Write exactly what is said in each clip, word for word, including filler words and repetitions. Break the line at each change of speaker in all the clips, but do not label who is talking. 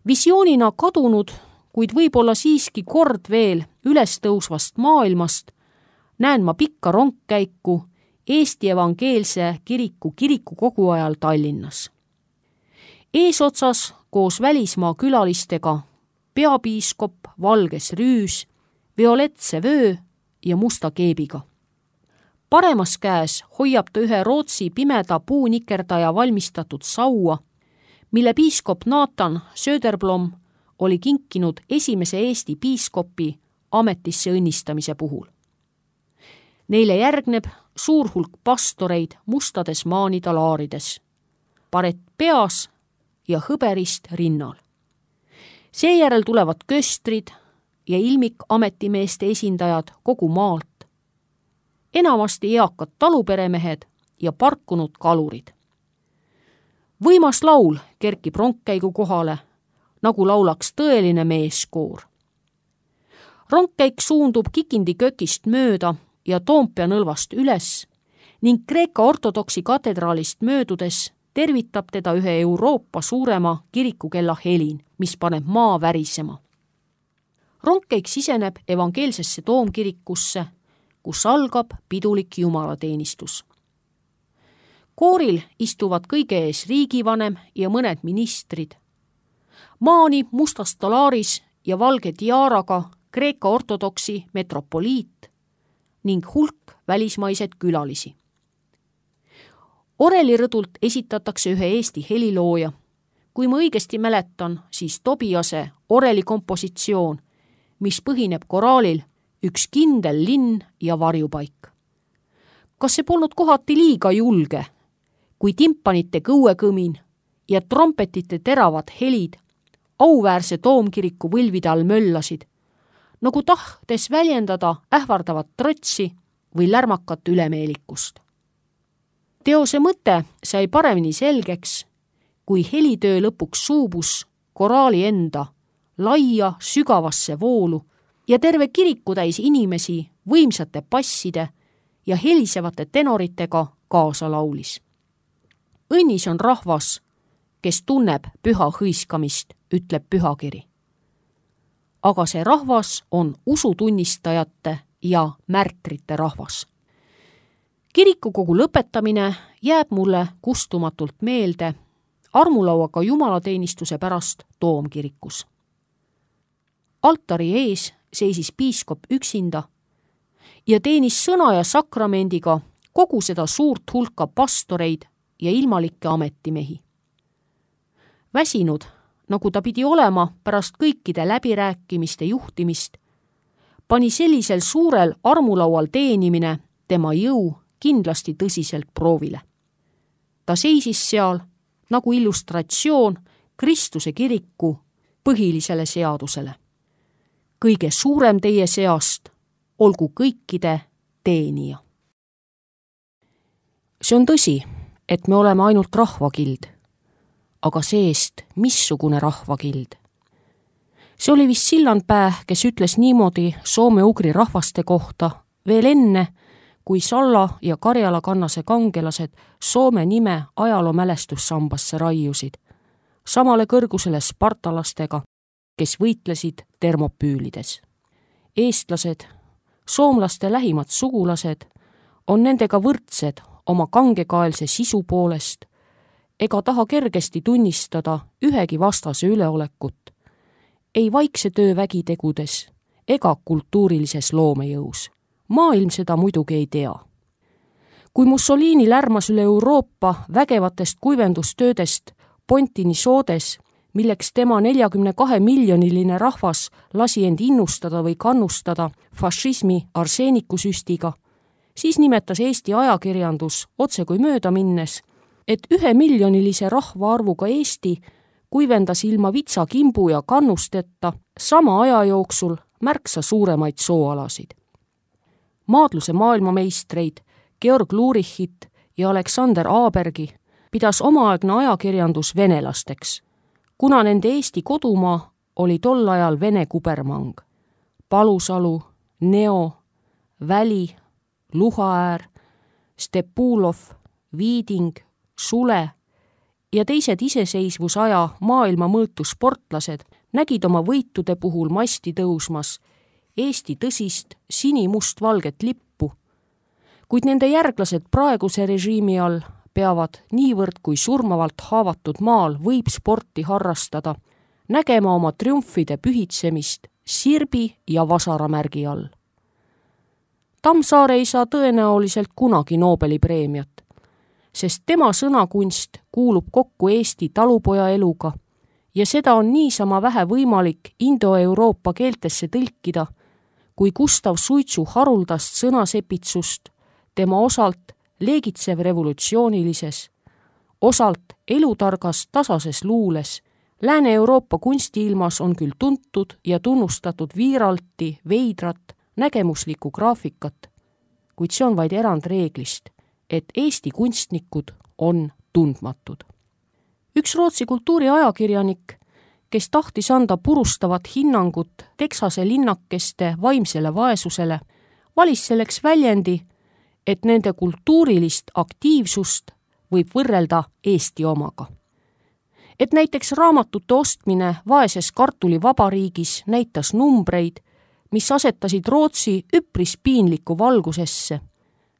Visioonina kadunud, kuid võib-olla siiski kord veel üles tõusvast maailmast näen ma pikka rongkäiku Eesti Evangeelse Kiriku kirikukogu ajal Tallinnas. Eesotsas koos välismaa külalistega peapiiskop valges rüüs, violetse vöö ja musta keebiga. Paremas käes hoiab ta ühe Rootsi pimeda puunikerdaja valmistatud saua, mille piiskop Nathan Söderblom oli kinkinud esimese Eesti piiskopi ametisse õnnistamise puhul. Neile järgneb suur hulk pastoreid mustades maanidalaarides, paret peas ja hõberist rinnal. Seejärel tulevad köstrid ja ilmik ametimeeste esindajad kogu maalt, enamasti eakad taluperemehed ja parkunud kalurid. Võimas laul kerkib rongkäigu kohale, nagu laulaks tõeline meeskoor. Rongkäik suundub Kikindi kökist mööda ja Toompea nõlvast üles ning Kreeka ortodoksi katedraalist möödudes tervitab teda ühe Euroopa suurema kirikukella helin, mis paneb maa värisema. Rongkäik siseneb evangeelsesse toomkirikusse, kus algab pidulik jumalateenistus. Kooril istuvad kõige ees riigivanem ja mõned ministrid. Maani mustas talaaris ja valge tiaaraga Kreeka ortodoksi metropoliit ning hulk välismaised külalisi. Orelirõdult esitatakse ühe Eesti helilooja. Kui ma õigesti mäletan, siis Tobiase orelikompositsioon, mis põhineb koraalil Üks kindel linn ja varjupaik. Kas see polnud kohati liiga julge, kui timpanite kõuekõmin ja trompetite teravad helid auväärse toomkiriku võlvide all möllasid, nagu tahtes väljendada ähvardavat trotsi või lärmakat ülemeelikust. Teose mõte sai paremini selgeks, kui helitöö lõpuks suubus koraali enda laia sügavasse voolu ja terve kirikutäis inimesi võimsate passide ja helisevate tenoritega kaasa laulis. Õnnis on rahvas, kes tunneb püha hõiskamist, ütleb pühakiri. Aga see rahvas on usutunnistajate ja märtrite rahvas. Kirikukogu lõpetamine jääb mulle kustumatult meelde armulauaga jumalateenistuse pärast toomkirikus. Altari ees seisis piiskop üksinda ja teenis sõna ja sakramendiga kogu seda suurt hulka pastoreid ja ilmalikke ametimehi. Väsinud, nagu ta pidi olema pärast kõikide läbirääkimiste juhtimist, pani sellisel suurel armulaual teenimine tema jõu kindlasti tõsiselt proovile. Ta seisis seal nagu illustratsioon Kristuse kiriku põhilisele seadusele. Kõige suurem teie seast olgu kõikide teenija. See on tõsi, et me oleme ainult rahvakild, aga seest missugune rahvakild. See oli vist Sillandpää, kes ütles niimoodi soome-ugri rahvaste kohta veel enne, kui Salla ja Karjala kannase kangelased Soome nime ajaloo mälestussambasse raiusid, samale kõrgusele spartalastega, kes võitlesid termopüülides. Eestlased, soomlaste lähimad sugulased, on nendega võrdsed oma kangekaelse sisu poolest ega taha kergesti tunnistada ühegi vastase üleolekut, ei vaikse töö vägitegudes ega kultuurilises loomejõus. Maailm seda muidugi ei tea. Kui Mussolini lärmas üle Euroopa vägevatest kuivendustöödest Pontini soodes, milleks tema neljakümne kahe miljoniline rahvas lasi end innustada või kannustada fašismi arseenikusüstiga, siis nimetas Eesti ajakirjandus otse kui mööda minnes, et ühe miljonilise rahvaarvuga Eesti kuivendas ilma vitsakimbu ja kannusteta sama aja jooksul märksa suuremaid sooalasid. Maadluse maailmameistreid Georg Lurichit ja Aleksander Aabergi pidas omaaegne ajakirjandus venelasteks, kuna nende Eesti kodumaa oli tol ajal Vene kubermang. Palusalu, Neo, Väli, Luhaäär, Stepulov, Viiding, Sule, ja teised iseseisvusaja maailma mõõtu sportlased nägid oma võitude puhul masti tõusmas Eesti tõsist sini-must-valget lippu, kuid nende järglased praeguse režiimi all peavad niivõrd kui surmavalt haavatud maal võib sporti harrastada, nägema oma triumfide pühitsemist sirbi ja vasaramärgi all. Tammsaare ei saa tõenäoliselt kunagi Nobeli preemiat, sest tema sõnakunst kuulub kokku Eesti talupoja eluga ja seda on niisama vähe võimalik indo-euroopa keeltesse tõlkida, kui Gustav Suitsu haruldast sõnasepitsust tema osalt leegitsev revolutsioonilises, osalt elutargas tasases luules Lääne-Euroopa kunstiilmas on küll tuntud ja tunnustatud viiralti, veidrat, nägemuslikku graafikat, kuid see on vaid erandreeglist, et Eesti kunstnikud on tundmatud. Üks Rootsi kultuuriajakirjanik, kes tahtis anda purustavat hinnangut Texase linnakeste vaimsele vaesusele, valis selleks väljendi, et nende kultuurilist aktiivsust võib võrrelda Eesti omaga. Et näiteks raamatute ostmine vaeses kartulivabariigis näitas numbreid, mis asetasid Rootsi üpris piinlikku valgusesse.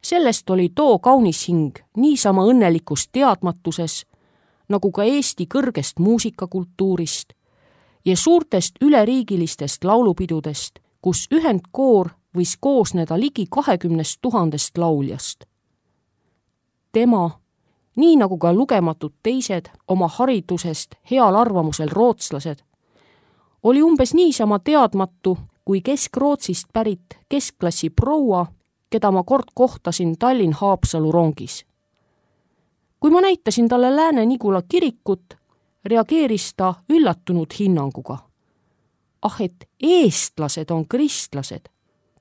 Sellest oli too kaunis hing niisama õnnelikus teadmatuses, nagu ka Eesti kõrgest muusikakultuurist ja suurtest üleriigilistest laulupidudest, kus ühendkoor võis koosneda ligi kahekümnest tuhandest lauljast. Tema, nii nagu ka lugematud teised oma haridusest heal arvamusel rootslased, oli umbes niisama teadmatu kui Kesk-Rootsist pärit keskklassi proua, keda ma kord kohtasin Tallinn-Haapsalu rongis. Kui ma näitasin talle Lääne-Nigula kirikut, reageeris ta üllatunud hinnanguga. Ah, et eestlased on kristlased,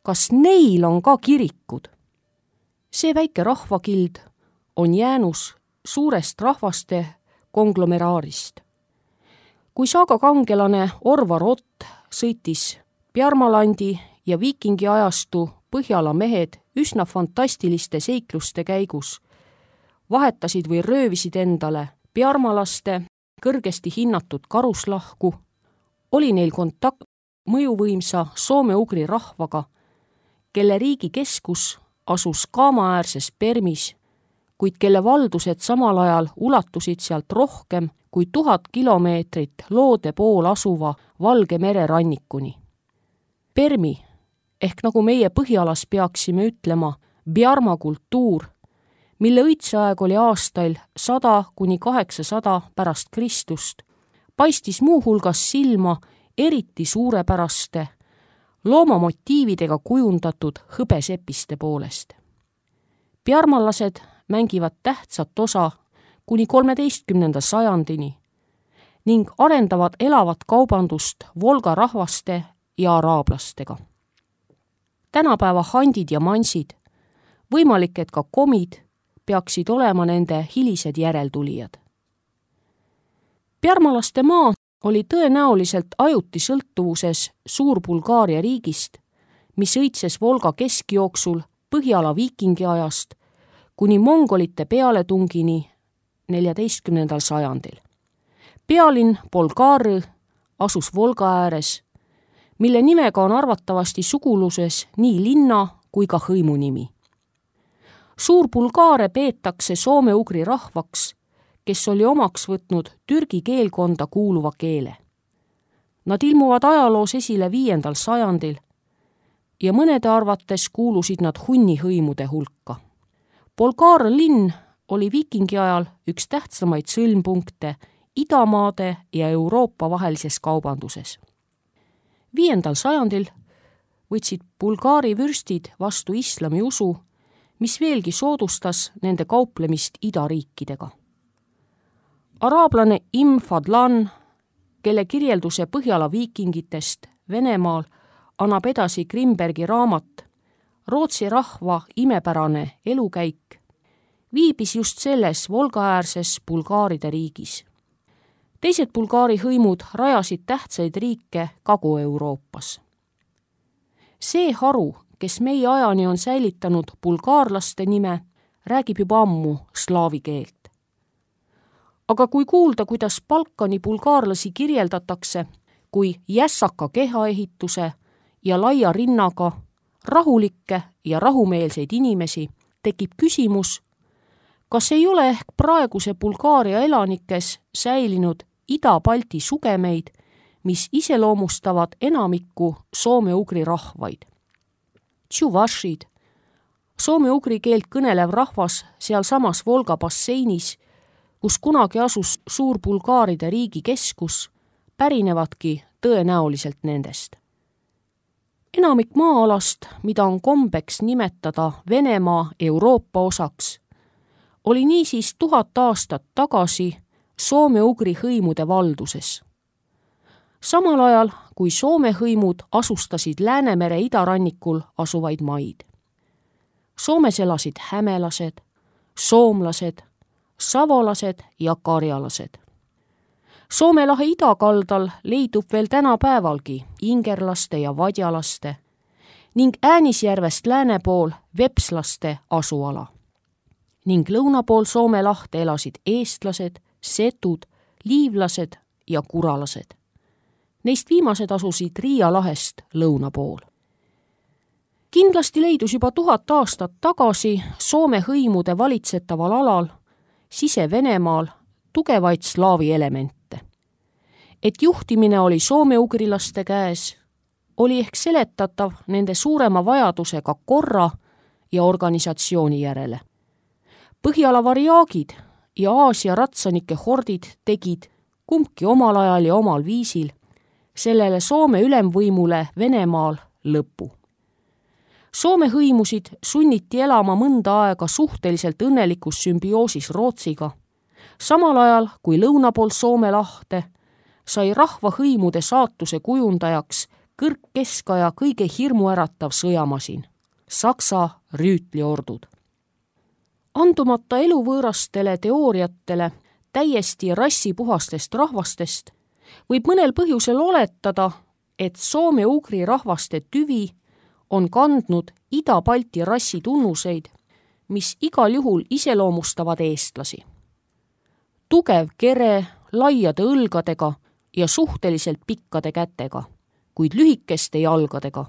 kas neil on ka kirikud? See väike rahvakild on jäänus suurest rahvaste konglomeraarist. Kui saagakangelane Orvar Ott sõitis Bjarmalandi ja viikingi ajastu Põhjala mehed üsna fantastiliste seikluste käigus vahetasid või röövisid endale Bjarmalaste kõrgesti hinnatud karuslahku, oli neil kontakt mõjuvõimsa soome-ugri rahvaga, kelle riigi keskus asus Kaama-äärses Permis, kuid kelle valdused samal ajal ulatusid sealt rohkem kui tuhat kilomeetrit loode pool asuva Valge mere rannikuni. Permi, ehk nagu meie Põhjalas peaksime ütlema, Bjarma kultuur, mille õitseaeg oli aastail sada kuni kaheksasada pärast Kristust, paistis muuhulgas silma eriti suurepäraste, loomamotiividega kujundatud hõbesepiste poolest. Bjarmalased mängivad tähtsat osa kuni kolmeteistkümnenda sajandini ning arendavad elavat kaubandust Volga rahvaste ja araablastega. Tänapäeva handid ja mansid, võimalik, et ka komid, peaksid olema nende hilised järeltulijad. Bjarmalaste maa oli tõenäoliselt ajuti sõltuvuses Suur-Bulgaaria riigist, mis õitses Volga keskjooksul Põhjala viikingi ajast kuni mongolite pealetungini neljateistkümnendal sajandil. Pealinn Bolgārõ asus Volga ääres, mille nimega on arvatavasti suguluses nii linna kui ka hõimu nimi. Suur-Bulgaare peetakse soome-ugri rahvaks, kes oli omaks võtnud türgi keelkonda kuuluva keele. Nad ilmuvad ajaloos esile viiendal sajandil ja mõnede arvates kuulusid nad hunni hõimude hulka. Bolgārõ linn oli viikingi ajal üks tähtsamaid sõlmpunkte idamaade ja Euroopa vahelises kaubanduses. Viiendal sajandil võtsid Bulgaari vürstid vastu islami usu, mis veelgi soodustas nende kauplemist idariikidega. Araablane Im Fadlan, kelle kirjelduse Põhjala viikingitest Venemaal annab edasi Grimbergi raamat Rootsi rahva imepärane elukäik, viibis just selles Volgaäärses Bulgaaride riigis. Teised Bulgaari hõimud rajasid tähtsaid riike Kagu-Euroopas. See haru, kes meie ajani on säilitanud bulgaarlaste nime, räägib juba ammu slaavi keelt. aga kui kuulda, kuidas Balkani bulgaarlasi kirjeldatakse kui jässaka kehaehituse ja laia rinnaga, rahulikke ja rahumeelseid inimesi, tekib küsimus, kas ei ole ehk praeguse Bulgaaria elanikes säilinud Ida-Balti sugemeid, mis iseloomustavad enamikku soome-ugri rahvaid. Tšuvašid, soome-ugri keelt kõnelev rahvas sealsamas Volga basseinis, kus kunagi asus Suur-Bulgaaride riigi keskus, pärinevadki tõenäoliselt nendest. Enamik maa-alast, mida on kombeks nimetada Venemaa Euroopa osaks, oli niisiis tuhat aastat tagasi soome-ugri hõimude valduses. Samal ajal, kui Soome hõimud asustasid Läänemere idarannikul asuvaid maid. Soomes elasid hämelased, soomlased, savolased ja karjalased. Soome lahe idakaldal leidub veel tänapäevalgi ingerlaste ja vadjalaste ning Äänisjärvest lääne pool vepslaste asuala. Ning lõuna pool Soome lahte elasid eestlased, setud, liivlased ja kuralased. Neist viimased asusid Riia lahest lõuna pool. Kindlasti leidus juba tuhat aastat tagasi Soome hõimude valitsetaval alal, Sise-Venemaal, tugevaid slaavi elemente. Et juhtimine oli soome-ugrilaste käes, oli ehk seletatav nende suurema vajadusega korra ja organisatsiooni järele. Põhjala variaagid ja Aasia ratsanike hordid tegid kumbki omal ajal ja omal viisil sellele Soome ülemvõimule Venemaal lõpu. Soome hõimusid sunniti elama mõnda aega suhteliselt õnnelikus sümbioosis Rootsiga, samal ajal kui lõuna pool Soome lahte sai rahva hõimude saatuse kujundajaks kõrgkeskaja kõige hirmuäratav sõjamasin, Saksa rüütliordud. Andumata eluvõõrastele teooriatele täiesti rassipuhastest rahvastest, võib mõnel põhjusel oletada, et soome-ugri rahvaste tüvi on kandnud Ida-Balti rassi tunnuseid, mis igal juhul iseloomustavad eestlasi. Tugev kere, laiade õlgadega ja suhteliselt pikkade kätega, kuid lühikeste jalgadega.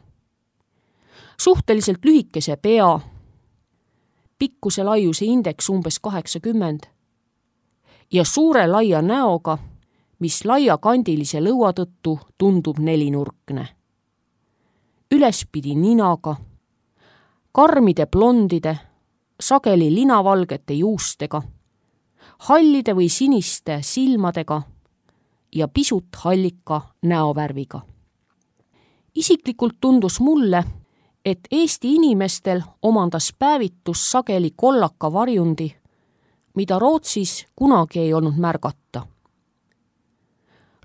Suhteliselt lühikese pea, pikkuse laiuse indeks umbes kaheksakümmend ja suure laia näoga, mis laiakandilise lõua tõttu tundub nelinurkne. Ülespidi ninaga, karmide blondide, sageli linavalgete juustega, hallide või siniste silmadega ja pisut hallika näovärviga. Isiklikult tundus mulle, et Eesti inimestel omandas päevitus sageli kollaka varjundi, mida Rootsis kunagi ei olnud märgata.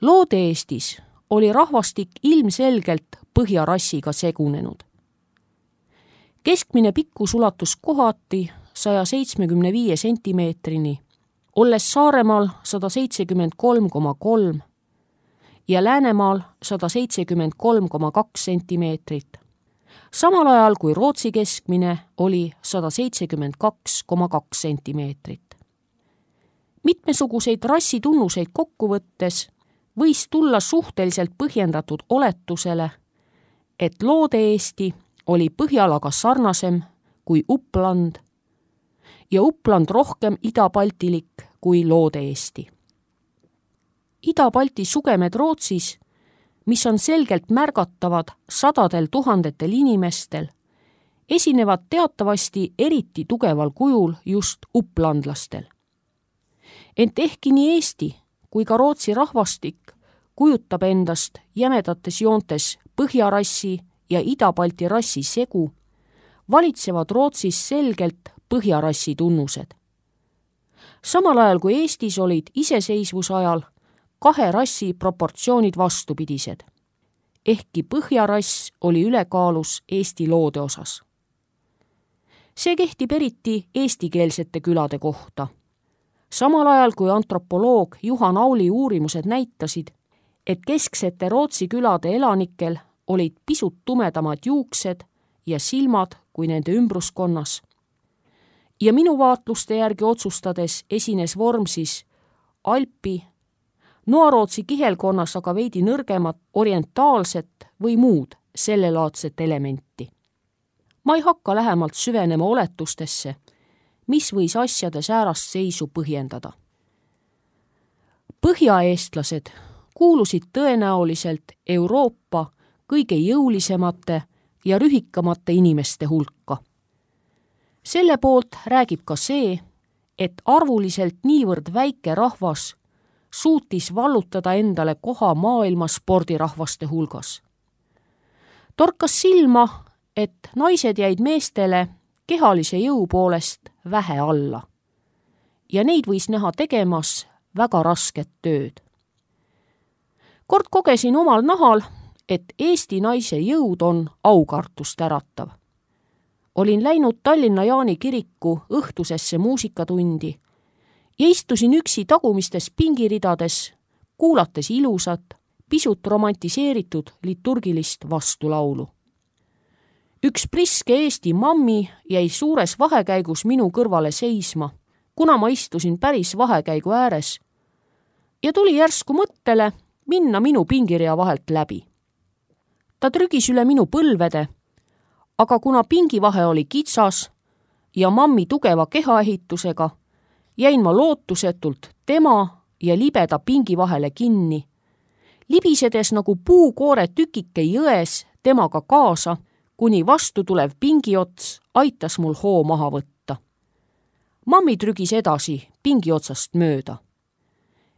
Loode-Eestis oli rahvastik ilmselgelt põhjarassiga segunenud. Keskmine pikkus ulatus kohati saja seitsmekümne viie sentimeetrini, olles Saaremaal sada seitsekümmend kolm koma kolm ja Läänemaal sada seitsekümmend kolm koma kaks sentimeetrit, samal ajal kui Rootsi keskmine oli sada seitsekümmend kaks koma kaks sentimeetrit. Mitmesuguseid rassitunnuseid kokku võttes võis tulla suhteliselt põhjendatud oletusele, et Loode-Eesti oli Põhjalaga sarnasem kui Uppland ja Uppland rohkem idabaltilik kui Loode-Eesti. Ida-Balti sugemed Rootsis, mis on selgelt märgatavad sadadel tuhandetel inimestel, esinevad teatavasti eriti tugeval kujul just upplandlastel. Ent ehkki nii Eesti kui ka Rootsi rahvastik kujutab endast jämedates joontes põhjarassi ja Ida-Balti rassi segu, valitsevad Rootsis selgelt põhjarassi tunnused. Samal ajal kui Eestis olid iseseisvuse ajal kahe rassi proportsioonid vastupidised, ehkki põhjarass oli ülekaalus Eesti loode osas. See kehtib eriti eestikeelsete külade kohta. Samal ajal kui antropoloog Juhan Auli uurimused näitasid, et kesksete Rootsi külade elanikel olid pisut tumedamad juuksed ja silmad kui nende ümbruskonnas. Ja minu vaatluste järgi otsustades esines Vormsis alpi, Noarootsi kihelkonnas aga veidi nõrgemat orientaalset või muud sellelaadset elementi. Ma ei hakka lähemalt süvenema oletustesse, mis võis asjade säärast seisu põhjendada. Põhjaeestlased kuulusid tõenäoliselt Euroopa kõige jõulisemate ja rühikamate inimeste hulka. Selle poolt räägib ka see, et arvuliselt niivõrd väike rahvas suutis vallutada endale koha maailma spordirahvaste hulgas. Torkas silma, et naised jäid meestele kehalise jõu poolest vähe alla ja neid võis näha tegemas väga rasket tööd. Kord kogesin omal nahal, et Eesti naise jõud on aukartust äratav. Olin läinud Tallinna Jaani kiriku õhtusesse muusikatundi ja istusin üksi tagumistes pingiridades, kuulates ilusat, pisut romantiseeritud liturgilist vastulaulu. Üks priske Eesti mammi jäi suures vahekäigus minu kõrvale seisma, kuna ma istusin päris vahekäigu ääres ja tuli järsku mõttele minna minu pingirea vahelt läbi. Ta trügis üle minu põlvede, aga kuna pingivahe oli kitsas ja mammi tugeva kehaehitusega, jäin ma lootusetult tema ja libeda pingi vahele kinni, libisedes nagu puukoore tükike jões temaga kaasa, kuni vastu tulev pingiots aitas mul hoo maha võtta. Mammi trügis edasi pingi otsast mööda.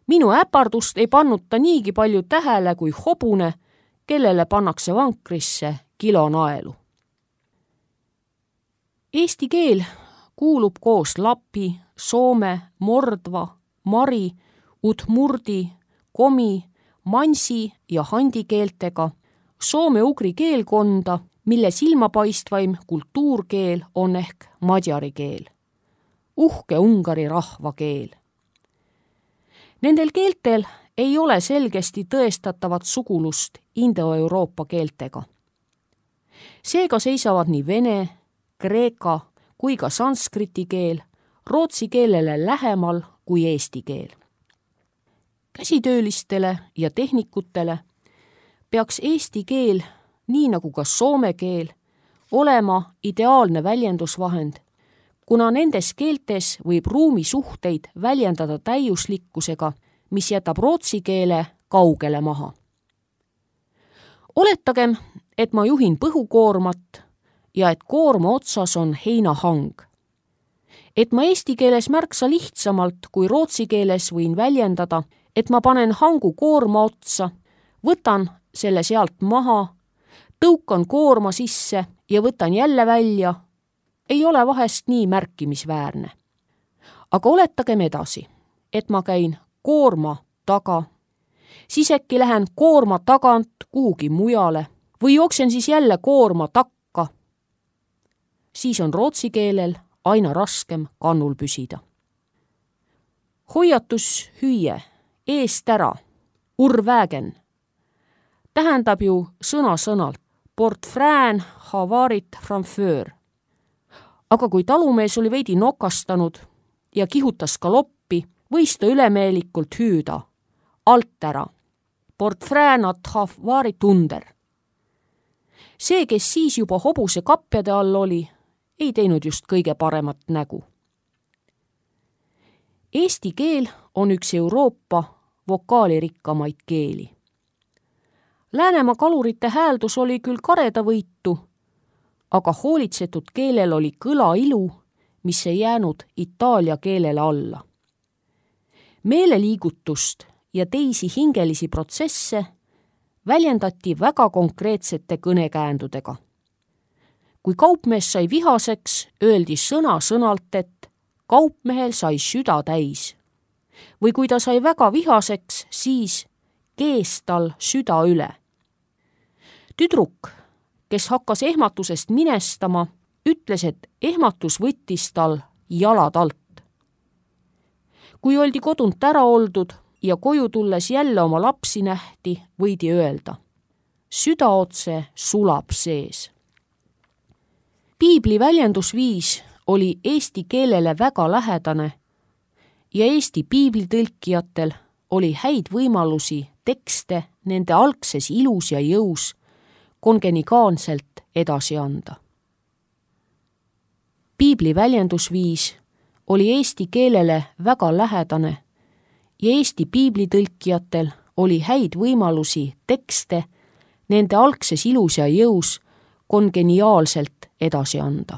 Minu äpardust ei pannud ta niigi palju tähele kui hobune, kellele pannakse vankrisse kilo naelu. Eesti keel kuulub koos lapi, soome, mordva, mari, udmurdi, komi, mansi ja handi keeltega soome-ugri keelkonda, mille silmapaistvaim kultuurkeel on ehk madjari keel, uhke Ungari rahva keel. Nendel keeltel ei ole selgesti tõestatavat sugulust Indo-Euroopa keeltega. Seega seisavad nii vene, kreeka kui ka sanskriti keel rootsi keelele lähemal kui eesti keel. Käsitöölistele ja tehnikutele peaks eesti keel, nii nagu ka soome keel, olema ideaalne väljendusvahend, kuna nendes keeltes võib ruumisuhteid väljendada täiuslikkusega, mis jätab rootsi keele kaugele maha. Oletagem, et ma juhin põhukoormat ja et koorma otsas on heinahang. Et ma eesti keeles märksa lihtsamalt kui rootsi keeles võin väljendada, et ma panen hangu koorma otsa, võtan selle sealt maha, tõukan koorma sisse ja võtan jälle välja, ei ole vahest nii märkimisväärne. Aga oletagem edasi, et ma käin koorma taga, siis äkki lähen koorma tagant kuhugi mujale või jooksen siis jälle koorma takka. Siis on rootsi keelel aina raskem kannul püsida. Hoiatus hüüe, eest ära, urvägen, tähendab ju sõna-sõnalt portfrään havarit framföör. Aga kui talumees oli veidi nokastanud ja kihutas ka loppi, võis ta ülemeelikult hüüda alt ära, portfrään at havarit under. See, kes siis juba hobuse kapjade all oli, ei teinud just kõige paremat nägu. Eesti keel on üks Euroopa vokaalirikkamaid keeli. Läänemaa kalurite hääldus oli küll karedavõitu, aga hoolitsetud keelel oli kõla ilu, mis ei jäänud itaalia keelele alla. Meeleliigutust ja teisi hingelisi protsesse väljendati väga konkreetsete kõnekäändudega. Kui kaupmees sai vihaseks, öeldi sõna-sõnalt, et kaupmehel sai süda täis. Või kui ta sai väga vihaseks, siis kees tal süda üle. Tüdruk, kes hakkas ehmatusest minestama, ütles, et ehmatus võttis tal jalad alt. Kui oldi kodunt ära oldud ja koju tulles jälle oma lapsi nähti, võidi öelda, süda otse sulab sees. Piibli väljendusviis oli eesti keelele väga lähedane ja Eesti piiblitõlkijatel oli häid võimalusi tekste nende algses ilus ja jõus kongenigaanselt edasi anda. Piibli väljendusviis oli eesti keelele väga lähedane ja Eesti piiblitõlkijatel oli häid võimalusi tekste nende algses ilus ja jõus kongeniaalselt edasi anda.